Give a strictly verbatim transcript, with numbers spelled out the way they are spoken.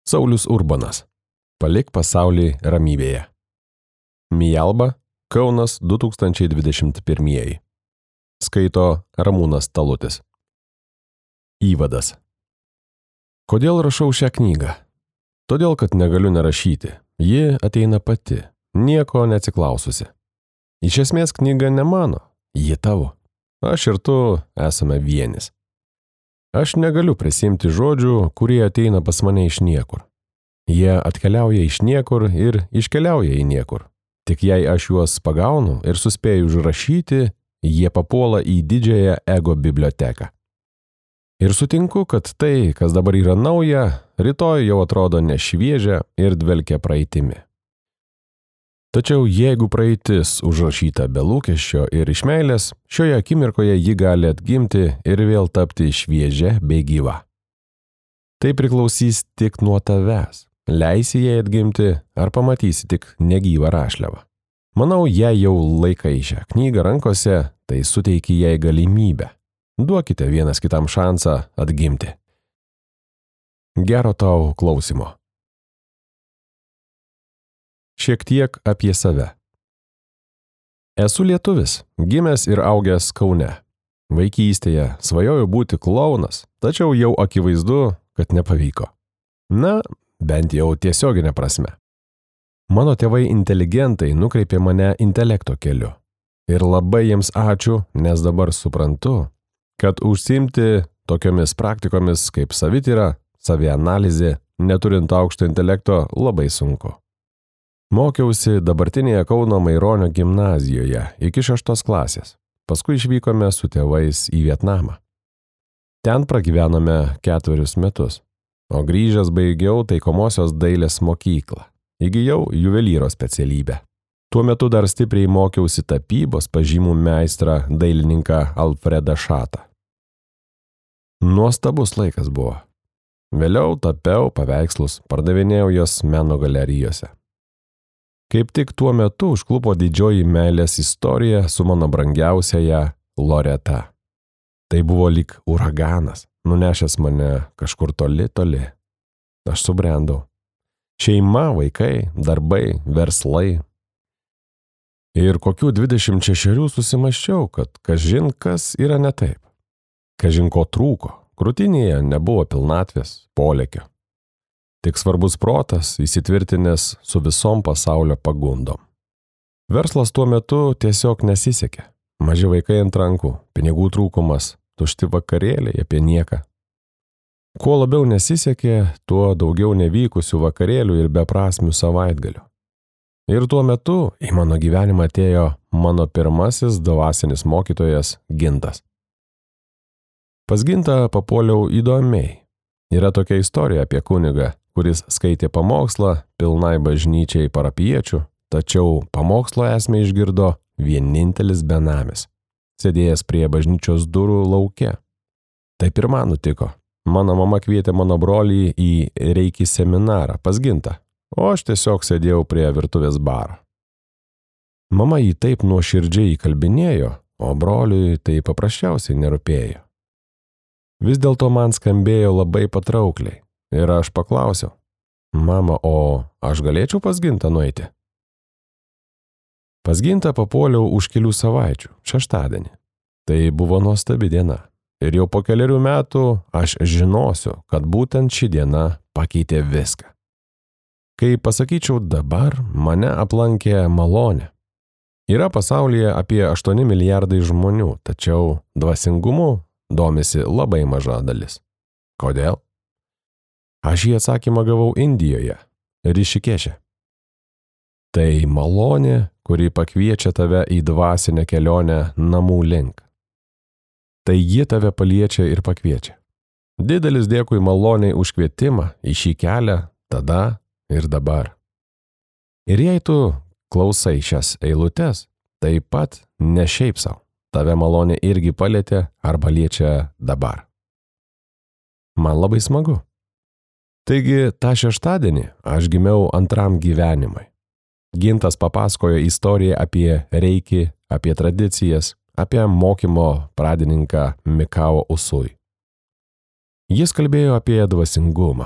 Saulius Urbonas. Palik pasaulį ramybėje. Mijalba, Kaunas du tūkstančiai dvidešimt pirmieji. Skaito Ramūnas Talutis. Įvadas. Kodėl rašau šią knygą? Todėl, kad negaliu nerašyti. Ji ateina pati, nieko neatsiklaususi. Iš esmės knyga ne mano, ji tavo. Aš ir tu esame vienis. Aš negaliu prisimti žodžių, kurie ateina pas mane iš niekur. Jie atkeliauja iš niekur ir iškeliauja į niekur. Tik jei aš juos pagaunu ir suspėju užrašyti, jie papuola į didžiąją ego biblioteką. Ir sutinku, kad tai, kas dabar yra nauja, rytoj jau atrodo nešviežia ir dvelkia praeitimi. Tačiau jeigu praeitis užrašyta be lūkesčio ir iš meilės, šioje akimirkoje ji gali atgimti ir vėl tapti šviežia bei gyva. Tai priklausys tik nuo tavęs. Leisi jai atgimti ar pamatysi tik negyvą rašliavą. Manau, jei jau laikai šią knygą rankose, tai suteiki jai galimybę. Duokite vienas kitam šansą atgimti. Gero tau klausimo. Šiek tiek apie save. Esu lietuvis, gimęs ir augęs Kaune. Vaikystėje svajojau būti klounas, tačiau jau akivaizdu, kad nepavyko. Na, bent jau tiesioginė prasme. Mano tėvai inteligentai nukreipė mane intelekto keliu. Ir labai jiems ačiū, nes dabar suprantu, kad užsiimti tokiomis praktikomis kaip savityra, savianalizė, neturint aukšto intelekto, labai sunku. Mokiausi dabartinėje Kauno Maironio gimnazijoje iki šeštos klasės. Paskui išvykome su tėvais į Vietnamą. Ten pragyvenome ketverius metus, o grįžęs baigiau taikomosios dailės mokyklą. Įgijau juvelyro specialybę. Tuo metu dar stipriai mokiausi tapybos pažymų meistrą dailininką Alfredą Šatą. Nuostabus laikas buvo. Vėliau tapiau paveikslus, pardavinėjau juos meno galerijose. Kaip tik tuo metu užklupo didžioji meilės istorija su mano brangiausiaja Loreta. Tai buvo lyg uraganas, nunešęs mane kažkur toli, toli. Aš subrendau. Šeima, vaikai, darbai, verslai. Ir kokių dvidešimt šešerių susimąsčiau, kad kažin kas yra ne taip. Kažin ko trūko, krūtinėje nebuvo pilnatvės, polėkio. Tik svarbus protas įsitvirtinęs su visom pasaulio pagundom. Verslas tuo metu tiesiog nesisekė. Maži vaikai ant rankų, pinigų trūkumas, tušti vakarėliai apie nieką. Kuo labiau nesisekė, tuo daugiau nevykusių vakarėlių ir beprasmių savaitgalių. Ir tuo metu į mano gyvenimą atėjo mano pirmasis dvasinis mokytojas Gintas. Pas Gintą papuoliau įdomiai. Yra tokia istorija apie kunigą, kuris skaitė pamokslą pilnai bažnyčiai parapiečių, tačiau pamokslo esmę išgirdo vienintelis benamis, sėdėjęs prie bažnyčios durų lauke. Taip ir man nutiko. Mano mama kvietė mano brolį į reiki seminarą pas Gintą, o aš tiesiog sėdėjau prie virtuvės baro. Mama jį taip nuoširdžiai įkalbinėjo, o broliui tai paprasčiausiai nerūpėjo. Vis dėlto man skambėjo labai patraukliai. Ir aš paklausiau, mama, o aš galėčiau pas Gintą nueiti? Pas Gintą papuoliau už kelių savaičių, šeštadienį. Tai buvo nuostabi diena. Ir jau po keliarių metų aš žinosiu, kad būtent ši diena pakeitė viską. Kai pasakyčiau dabar, mane aplankė malonė. Yra pasaulyje apie aštuoni milijardai žmonių, tačiau dvasingumu domisi labai maža dalis. Kodėl? Aš jį atsakymą gavau Indijoje, Rišikeše. Tai malonė, kuri pakviečia tave į dvasinę kelionę namų link. Tai ji tave paliečia ir pakviečia. Didelis dėkui maloniai už kvietimą į šį kelią tada ir dabar. Ir jei tu klausai šias eilutes, taip pat ne šiaip sau. Tave malonė irgi palietė arba liečia dabar. Man labai smagu. Taigi, tą šeštadienį aš gimiau antram gyvenimui. Gintas papasakojo istoriją apie reiki, apie tradicijas, apie mokymo pradininką Mikao Usui. Jis kalbėjo apie dvasingumą,